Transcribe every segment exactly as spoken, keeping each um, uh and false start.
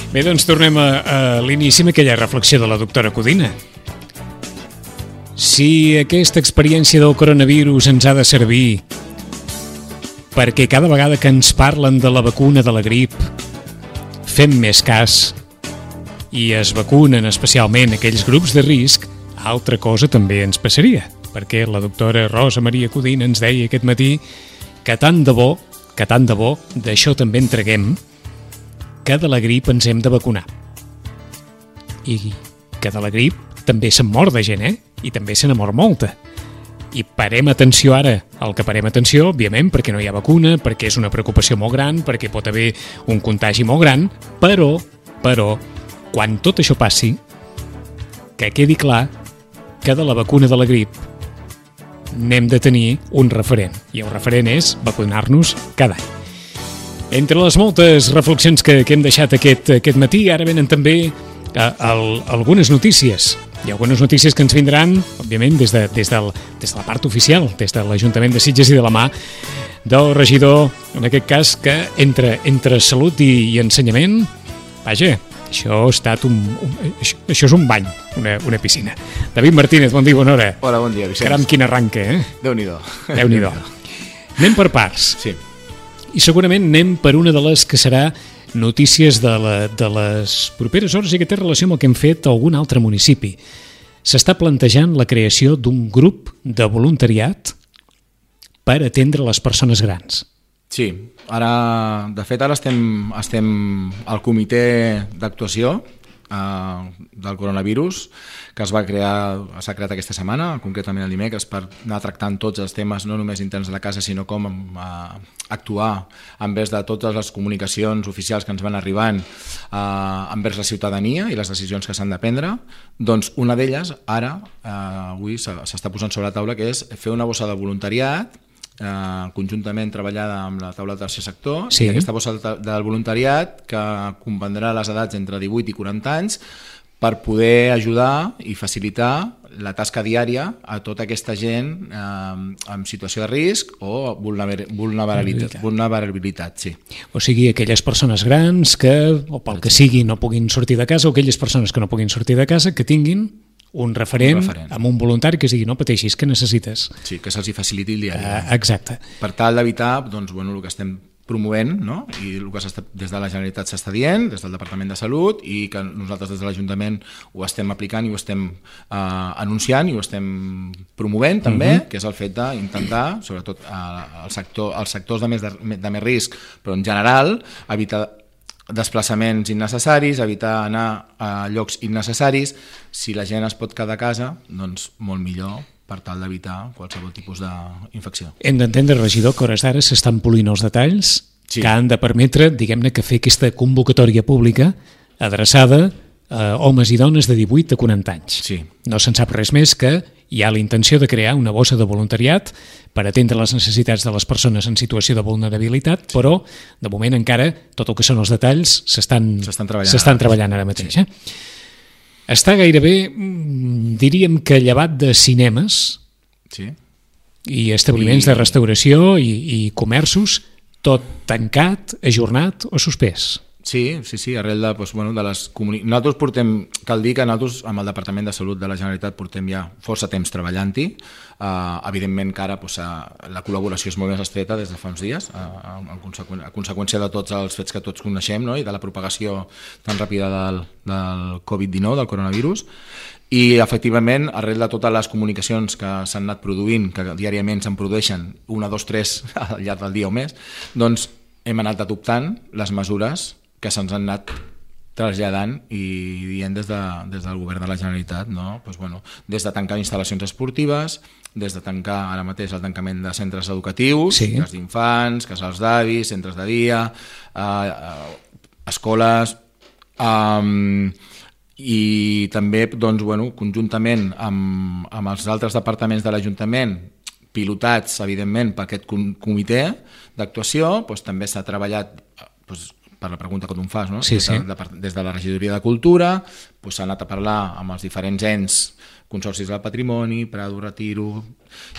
Bé, doncs tornem a, a l'inici amb aquella reflexió de la doctora Codina. Si aquesta experiència del coronavirus ens ha de servir perquè cada vegada que ens parlen de la vacuna de la grip fem més cas i es vacunen especialment aquells grups de risc, altra cosa també ens passaria, perquè la doctora Rosa Maria Codina ens deia aquest matí que tant de bo, que tant de bo, d'això també en traguem, que de la grip ens hem de vacunar. I que de la grip també se'n mor de gent, eh? I també se n'ha mort molta. I parem atenció ara, el que parem atenció, òbviament, perquè no hi ha vacuna, perquè és una preocupació molt gran, perquè pot haver un contagi molt gran, però, però, quan tot això passi, que quedi clar que de la vacuna de la grip n'hem de tenir un referent, i el referent és vacunar-nos cada any. Entre les moltes reflexions que, que hem deixat aquest, aquest matí, ara venen també eh, el, algunes notícies. Hi ha algunes notícies que ens vindran, òbviament, des de, des, del, des de la part oficial, des de l'Ajuntament de Sitges i de la mà del regidor, en aquest cas, que entre, entre salut i, i ensenyament, vaja, això ha estat un, un això, això és un bany, una, una piscina. David Martínez, bon dia, bona hora. Hola, bon dia, Vicenç. Caram, quin arranque, eh? Déu-n'hi-do. Déu-n'hi-do. Anem per parts. Sí. I segurament anem per una de les que serà notícies de, la, de les properes hores i que té relació amb el que hem fet a algun altre municipi. S'està plantejant la creació d'un grup de voluntariat per atendre les persones grans. Sí, ara, de fet, ara estem, estem al comitè d'actuació eh, del coronavirus, que es va crear, s'ha creat aquesta setmana, concretament el dimecres, per anar tractant tots els temes, no només interns de la casa, sinó com eh, actuar envers de totes les comunicacions oficials que ens van arribant eh, envers la ciutadania i les decisions que s'han de prendre. Doncs una d'elles, ara, eh, avui s'està posant sobre la taula, que és fer una bossa de voluntariat, Uh, conjuntament treballada amb la taula del tercer sector, sí. I aquesta bossa del voluntariat que comprendrà les edats entre divuit i quaranta anys per poder ajudar i facilitar la tasca diària a tota aquesta gent eh, en situació de risc o vulnerabilitat, vulnerabilitat sí. O sigui, aquelles persones grans que, o pel que sigui, no puguin sortir de casa, o aquelles persones que no puguin sortir de casa, que tinguin un referent, un referent amb un voluntari que digui no pateixis, que necessites. Sí, que se'ls faciliti el diari. Uh, exacte. Per tal d'evitar, doncs, bueno, el que estem promovent, no? I el que des de la Generalitat s'està dient, des del Departament de Salut, i que nosaltres des de l'Ajuntament ho estem aplicant i ho estem eh, anunciant i ho estem promovent també, uh-huh. que és el fet d'intentar, sobretot eh, el sector, els sectors de més, de, de més risc, però en general, evitar desplaçaments innecessaris, evitar anar a llocs innecessaris. Si la gent es pot quedar a casa, doncs molt millor per tal d'evitar qualsevol tipus d'infecció. Hem d'entendre, regidor, que hores d'ara s'estan polint els detalls sí. que han de permetre, diguem-ne, que fer aquesta convocatòria pública adreçada a homes i dones de divuit a quaranta anys. Sí. No se'n sap res més que hi ha la intenció de crear una bossa de voluntariat per atendre les necessitats de les persones en situació de vulnerabilitat, sí. però de moment encara tot el que són els detalls s'estan treballant, treballant ara mateix. Sí. Eh? Està gairebé, diríem que llevat de cinemes sí. i establiments I... de restauració i, i comerços, tot tancat, ajornat o suspès. Sí, sí, sí, arrel de, doncs, bueno, de les comunicacions. Nosaltres portem, cal dir que nosaltres amb el Departament de Salut de la Generalitat portem ja força temps treballant-hi. Uh, evidentment que ara doncs, uh, la col·laboració és molt més estreta des de fa uns dies, uh, a, conseqüència, a conseqüència de tots els fets que tots coneixem, no? I de la propagació tan ràpida del, del covid dinou, del coronavirus. I efectivament, arrel de totes les comunicacions que s'han anat produint, que diàriament se'n produeixen una, dos, tres al llarg del dia o més, doncs hem anat adoptant les mesures que se'ns han anat traslladant i dient des, de, des del govern de la Generalitat, no? Pues bueno, des de tancar instal·lacions esportives, des de tancar ara mateix el tancament de centres educatius, sí. llars d'infants, casals d'avis, centres de dia, eh, eh, escoles, eh, i també doncs, bueno, conjuntament amb, amb els altres departaments de l'Ajuntament, pilotats, evidentment, per aquest comitè d'actuació, doncs, també s'ha treballat doncs, per la pregunta que tu em fas, no? Sí, des, de, sí. de, des de la Regidoria de Cultura doncs, s'ha anat a parlar amb els diferents ens, consorcis del patrimoni, Prado, Retiro,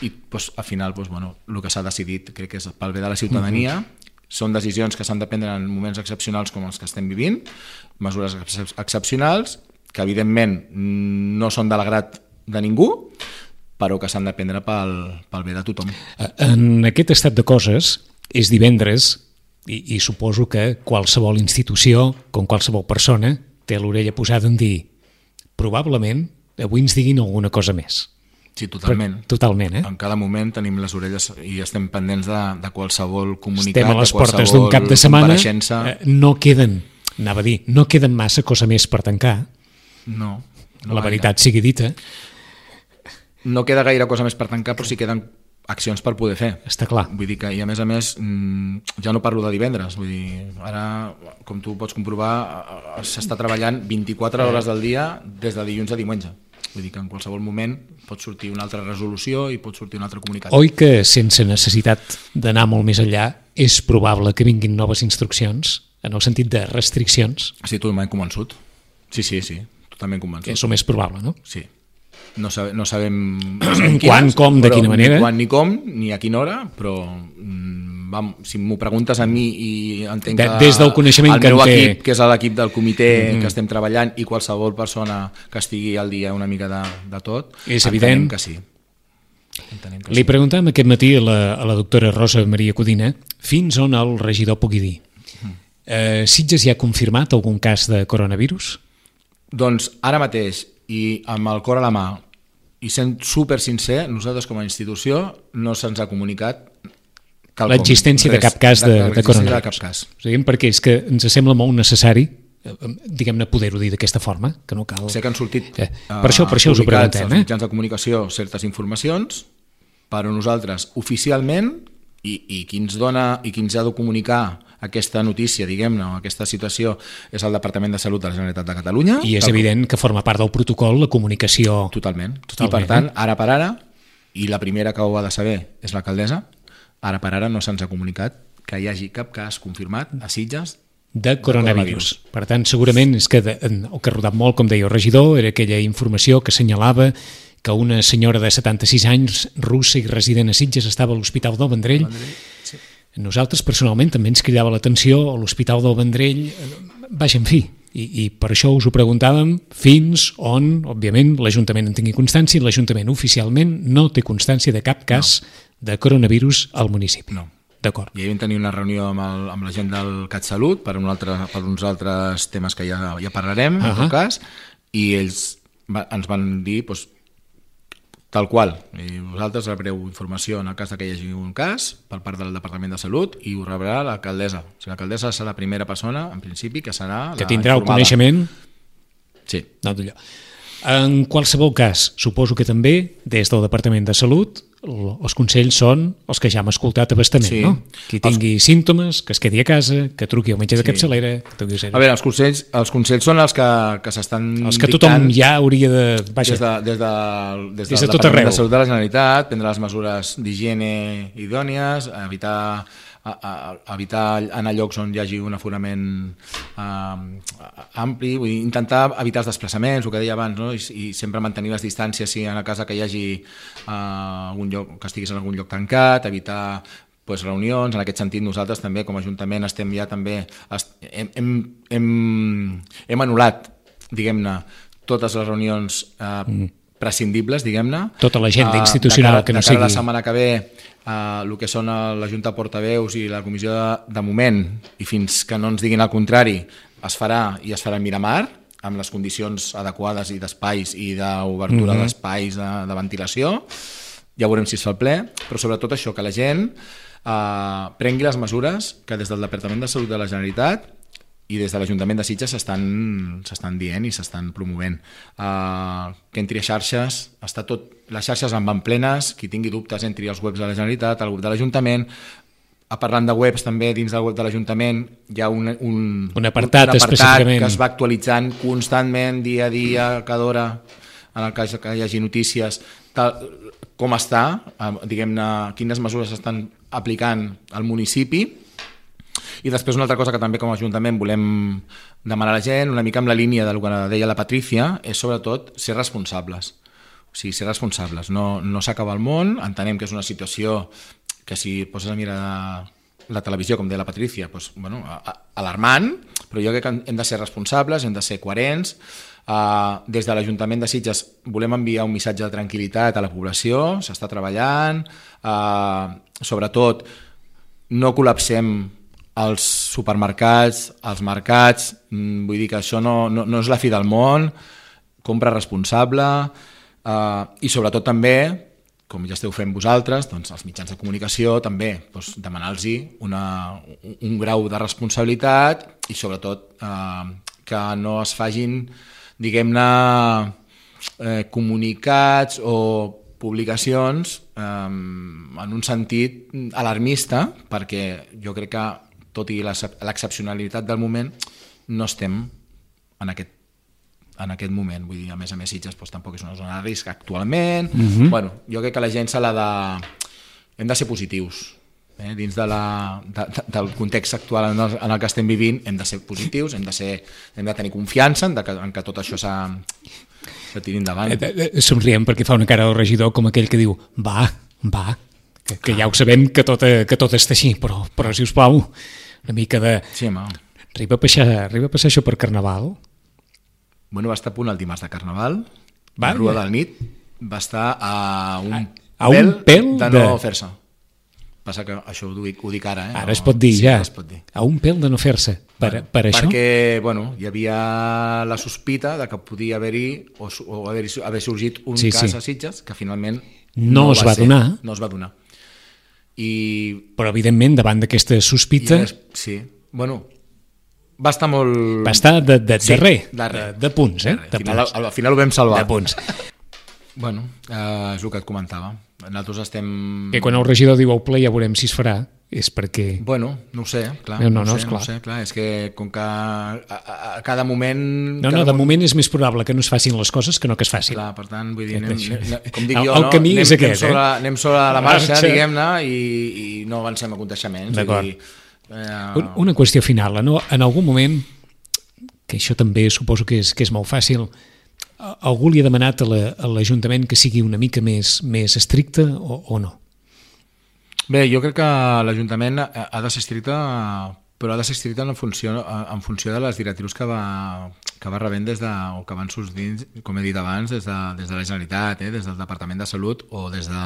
i doncs, al final doncs, bueno, el que s'ha decidit crec que és pel bé de la ciutadania, uh-huh. Són decisions que s'han de prendre en moments excepcionals com els que estem vivint, mesures ex excepcionals que evidentment no són de l'agrat de ningú, però que s'han de prendre pel, pel bé de tothom. En aquest estat de coses, és divendres i, i suposo que qualsevol institució, com qualsevol persona, té l'orella posada en dir probablement avui ens diguin alguna cosa més. Sí, totalment. Però, totalment, eh? En cada moment tenim les orelles i estem pendents de, de qualsevol comunicat, estem a les de portes d'un cap de setmana, eh, no queden, anava a dir, no queden massa cosa més per tancar. No. no La gaire. veritat sigui dita. No queda gaire cosa més per tancar, però sí queden accions per poder fer. Està clar. Vull dir que, i a més a més, ja no parlo de divendres, vull dir, ara, com tu pots comprovar, s'està treballant vint-i-quatre hores del dia des de dilluns a diumenge. Vull dir que en qualsevol moment pot sortir una altra resolució i pot sortir un altre comunicat. Oi que sense necessitat d'anar molt més enllà és probable que vinguin noves instruccions en el sentit de restriccions? Sí, totalment convençut. Sí, sí, sí, totalment convençut. És el més probable, no? Sí. No, sabe, no sabem, no sabem quan, quines, com, de quina manera. Ni quan, ni com, ni a quina hora, però vam, si m'ho preguntes a mi i entenc de, que des del coneixement el que meu té... equip, que és l'equip del comitè mm-hmm. que estem treballant, i qualsevol persona que estigui al dia una mica de, de tot, és evident que sí. Entenem que Li sí. preguntàvem aquest matí a la, a la doctora Rosa Maria Codina fins on el regidor pugui dir. Eh, Sitges ja ha confirmat algun cas de coronavirus? Doncs ara mateix, i amb el cor a la mà, i sent super sincer, nosaltres com a institució no se'ns ha comunicat l'existència de cap cas de, de, de coronavirus. De cap cas. O sigui, perquè és que ens sembla molt necessari, diguem-ne, poder-ho dir d'aquesta forma, que no cal... Sé que han sortit eh, per això, per això us ho preguntem, als eh? mitjans de comunicació certes informacions, però nosaltres oficialment, i, i qui ens dona i qui ens ha de comunicar aquesta notícia, diguem-ne, o aquesta situació, és el Departament de Salut de la Generalitat de Catalunya. I és evident que forma part del protocol la comunicació... Totalment. Totalment. I per tant, ara per ara, i la primera que ho ha de saber és l'alcaldessa, ara per ara no se'ns ha comunicat que hi hagi cap cas confirmat a Sitges de coronavirus. Per tant, segurament és que de, el que ha rodat molt, com deia el regidor, era aquella informació que assenyalava que una senyora de setanta-sis anys, russa i resident a Sitges, estava a l'Hospital del Vendrell. Sí. Nosaltres, personalment, també ens cridava l'atenció a l'Hospital del Vendrell. Vaja, en fi, i, i per això us ho preguntàvem fins on, òbviament, l'Ajuntament en tingui constància, i l'Ajuntament oficialment no té constància de cap cas no. de coronavirus al municipi. No. D'acord. I ahir vam tenir una reunió amb, el, amb la gent del CatSalut per, un altre, per uns altres temes que ja, ja parlarem, uh-huh. en tot cas, i ells va, ens van dir doncs, tal qual. I vosaltres rebreu informació en el cas que hi hagi un cas per part del Departament de Salut i ho rebrà l'alcaldessa. O sigui, l'alcaldessa serà la primera persona, en principi, que serà que la tindrà informada. El coneixement. Sí. No, d'allò. En qualsevol cas, suposo que també, des del Departament de Salut, els consells són els que ja hem escoltat a bastament, sí. no? Qui tingui els... símptomes, que es quedi a casa, que truqui al metge de sí. capçalera... Que a veure, els consells, els consells són els que, que s'estan els que tothom ja hauria de... Vaja, des, de, des, de, des, des del de tot Departament arreu. de Salut de la Generalitat, prendre les mesures d'higiene idònies, evitar... A, a, a evitar anar a llocs on hi hagi un aforament uh, ampli, vull dir, intentar evitar els desplaçaments, el que deia abans, no? I, i sempre mantenir les distàncies si en la casa que hi hagi uh, algun lloc, que estiguis en algun lloc tancat, evitar pues, reunions. En aquest sentit nosaltres també com a Ajuntament estem ja també est, hem, hem, hem, hem anul·lat, diguem-ne, totes les reunions uh, mm. prescindibles, diguem-ne. Tota l'agenda uh, institucional cara, que no sigui... sigui... la setmana que ve Uh, el que són la Junta de Portaveus i la comissió de, de moment, i fins que no ens diguin el contrari, es farà i es farà a Miramar, amb les condicions adequades i d'espais i d'obertura mm-hmm. d'espais de, de ventilació. Ja veurem si es fa el ple, però sobretot això, que la gent uh, prengui les mesures que des del Departament de Salut de la Generalitat i des de l'Ajuntament de Sitges s'estan dient i s'estan promovent. Uh, que entri a xarxes, està tot, les xarxes en van plenes, qui tingui dubtes entri als webs de la Generalitat, al web de l'Ajuntament. A parlant de webs, també dins del web de l'Ajuntament hi ha un, un, un apartat, un apartat específicament que es va actualitzant constantment, dia a dia, cada hora, en el cas que hi hagi notícies, tal, com està, diguem-ne, quines mesures s'estan aplicant al municipi. I després una altra cosa que també com a Ajuntament volem demanar a la gent, una mica amb la línia del que deia la Patrícia, és sobretot ser responsables. O sigui, ser responsables. No, no s'acaba el món, entenem que és una situació que si poses a mirar la televisió, com deia la Patrícia, doncs, bueno, alarmant, però jo crec que hem de ser responsables, hem de ser coherents. Uh, des de l'Ajuntament de Sitges volem enviar un missatge de tranquil·litat a la població, s'està treballant, uh, sobretot no col·lapsem els supermercats, els mercats, mm, vull dir que això no, no, no és la fi del món, compra responsable, uh, i sobretot també, com ja esteu fent vosaltres, doncs els mitjans de comunicació també, doncs, demanar-los un, un grau de responsabilitat i sobretot uh, que no es fagin, diguem-ne, eh, comunicats o publicacions eh, en un sentit alarmista, perquè jo crec que, tot i l'excepcionalitat del moment, no estem en aquest, en aquest moment. Vull dir, a més a més, Sitges doncs, tampoc és una zona de risc actualment. Mm-hmm. Bueno, jo crec que la gent s'ha de... hem de ser positius. Eh, dins de la, de, de, del context actual en el, en el que estem vivint hem de ser positius, hem de, ser, hem de tenir confiança en, de que, en que tot això s'ha de tirar endavant. Eh, eh, somriem perquè fa una cara al regidor com aquell que diu va, va, que, que ja ho sabem que tot, que tot està així, però, però si us plau, una mica de... Sí, home. Arriba a passar, arriba a passar això per Carnaval? Bueno, va estar a punt el dimarts de Carnaval, va, la Rua del Nit va estar a un, a, a un pèl, pèl de no de... fer-se. Passa que això ho dic, ho dic ara. Eh? Ara es pot dir, sí, ja. Es pot dir. A un pèl de no fer-se. Per, bueno, per això? Perquè bueno, hi havia la sospita de que podia haver-hi o, o haver, haver sorgit un sí, cas sí. a Sitges que finalment no, no es va, va ser, donar. No es va donar. I... Però, evidentment, davant d'aquesta sospita... I, sí, bueno... Va estar molt... Va estar de, de, sí, darrer, darrer, de, de punts, eh? De al, final, punts. Al, al final ho vam salvar. De punts. Bueno, eh, és el que et comentava. Nosaltres estem... Que quan el regidor diu au ple ja veurem si es farà, és perquè... Bueno, no ho sé, clar. No, no, no, no, sé, és clar. No sé, clar. És que com que a, a, a cada moment... No, cada no, de moment és més probable que no es facin les coses que no que es facin. Clar, per tant, vull dir, anem, anem, com dic el, jo, el no? camí anem, és aquest, anem sobre, eh? anem sobre la marxa, diguem-ne, i, i no avancem a aconteixements. D'acord. Dir, eh... Una qüestió final, no? En algun moment, que això també suposo que és, que és molt fàcil, algú li ha demanat a l'Ajuntament que sigui una mica més, més estricte o, o no? Bé, jo crec que l'Ajuntament ha de ser estricte, però ha de ser estricte en funció, en funció de les directrius que va, que va rebent des de, o que van sortint, com he dit abans, des de, des de la Generalitat, eh, des del Departament de Salut o des, de,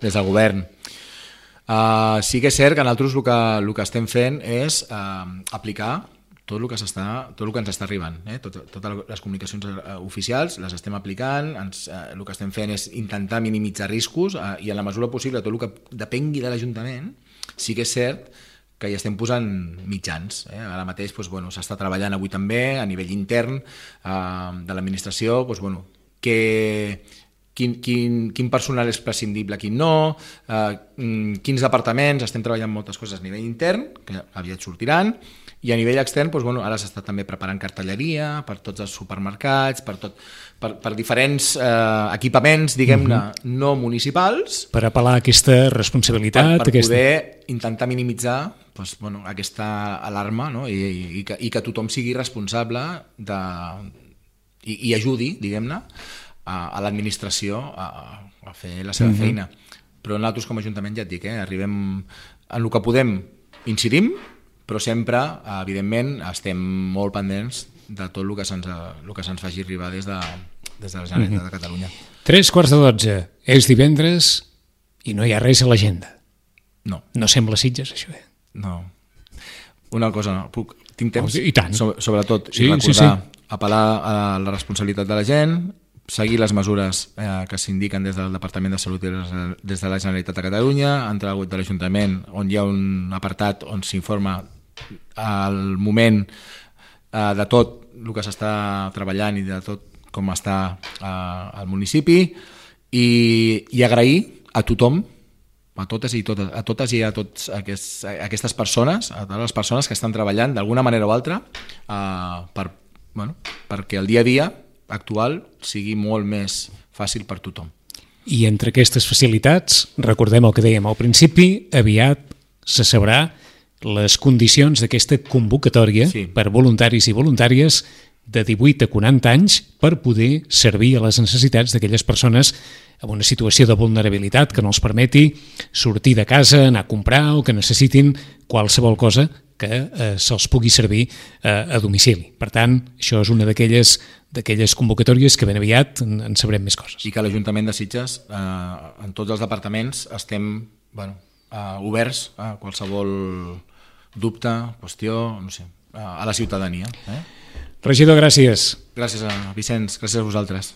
des del Govern. Uh, sí que és cert que nosaltres el que, el que estem fent és uh, aplicar tot el que s'està, tot el que ens està arribant, eh? Tot, totes les comunicacions oficials les estem aplicant, ens, eh, el que estem fent és intentar minimitzar riscos eh, i en la mesura possible tot el que depengui de l'Ajuntament, sí que és cert que hi estem posant mitjans. Eh? Ara mateix doncs, bueno, s'està treballant avui també a nivell intern eh, de l'administració, doncs, bueno, que, quin, quin, quin personal és prescindible, quin no, eh, quins departaments, estem treballant moltes coses a nivell intern, que aviat sortiran, i a nivell extern, doncs, bueno, ara s'està també preparant cartelleria per tots els supermercats, per, tot, per, per diferents eh, equipaments, diguem-ne, mm-hmm. no municipals. Per apel·lar a aquesta responsabilitat. Per, per aquesta... poder intentar minimitzar doncs, bueno, aquesta alarma, no? I, i, i, que, i que tothom sigui responsable de, i, i ajudi, diguem-ne, a, a l'administració a, a fer la seva mm-hmm. feina. Però nosaltres com a Ajuntament, ja et dic, eh, arribem en el que podem, incidim, però sempre, evidentment, estem molt pendents de tot el que se'ns, el que se'ns faci arribar des de, des de la Generalitat mm-hmm. de Catalunya. Tres quarts de dotze, és divendres i no hi ha res a l'agenda. No. No sembla Sitges, això, eh? No. Una cosa, no. Puc, tinc temps? I tant. So, sobretot, sí, i recordar, sí, sí. apel·lar a la responsabilitat de la gent, seguir les mesures eh, que s'indiquen des del Departament de Salut i des de la Generalitat de Catalunya, entrar al web de l'Ajuntament on hi ha un apartat on s'informa al moment eh, de tot el que s'està treballant i de tot com està eh, al municipi i, i agrair a tothom, a totes i totes, a totes i a tots aquests, a aquestes persones, a totes les persones que estan treballant d'alguna manera o altra eh, per, bueno, perquè el dia a dia actual sigui molt més fàcil per tothom. I entre aquestes facilitats, recordem el que dèiem al principi, aviat se sabrà les condicions d'aquesta convocatòria sí. per voluntaris i voluntàries de divuit a quaranta anys per poder servir a les necessitats d'aquelles persones en una situació de vulnerabilitat que no els permeti sortir de casa, anar a comprar o que necessitin qualsevol cosa que eh, se'ls pugui servir eh, a domicili. Per tant, això és una d'aquelles d'aquelles convocatòries que ben aviat en, en sabrem més coses. I que l'Ajuntament de Sitges, eh, en tots els departaments, estem bueno, eh, oberts a qualsevol dubte, qüestió, no sé, a la ciutadania. Eh? Regidor, gràcies. Gràcies a Vicenç, gràcies a vosaltres.